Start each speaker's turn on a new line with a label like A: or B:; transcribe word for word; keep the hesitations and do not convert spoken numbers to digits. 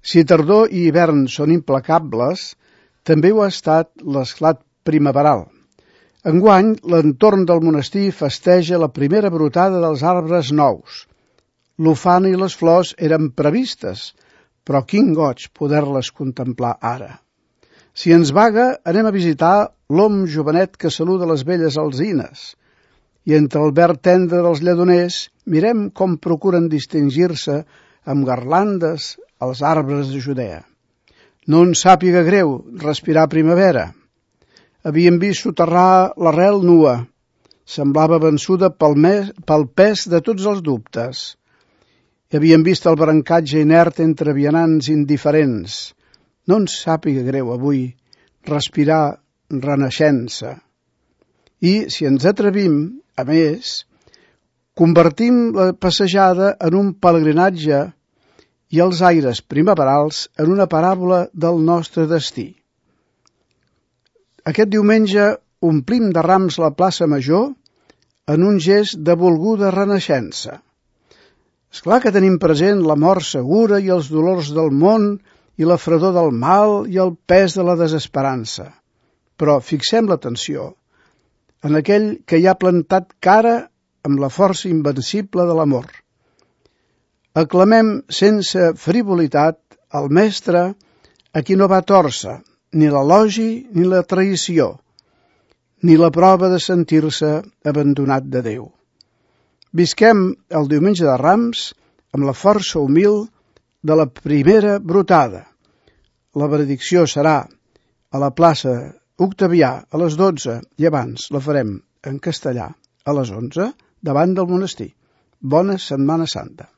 A: Si tardor i hivern són implacables, també ho ha estat l'esclat primaveral. Enguany, l'entorn del monestir festeja la primera brotada dels arbres nous. L'ufana i les flors eren previstes, però quin goig poder-les contemplar ara. Si ens vaga, anem a visitar l'om jovenet que saluda les velles alzines, i entre el verd tendre dels lledoners mirem com procuren distingir-se amb garlandes als arbres de Judea. No ens sàpiga greu respirar primavera. Havíem vist soterrar l'arrel nua. Semblava vençuda pel, mes, pel pes de tots els dubtes. Havíem vist el brancatge inert entre vianants indiferents. No ens sàpiga greu avui respirar renaixença. I, si ens atrevim, a més, convertim la passejada en un pelegrinatge i els aires primaverals en una paràbola del nostre destí. Aquest diumenge omplim de rams la plaça Major en un gest de volguda renaixença. És clar que tenim present la mort segura i els dolors del món i la fredor del mal i el pes de la desesperança. Però fixem l'atenció en aquell que hi ha plantat cara amb la força invencible de l'amor. Aclamem sense frivolitat el mestre a qui no va tòrcer ni l'elogi ni la traïció, ni la prova de sentir-se abandonat de Déu. Visquem el diumenge de Rams amb la força humil de la primera brotada. La benedicció serà a la plaça Octavià a les dotze i abans la farem en castellà a les onze davant del monestir. Bona Setmana Santa.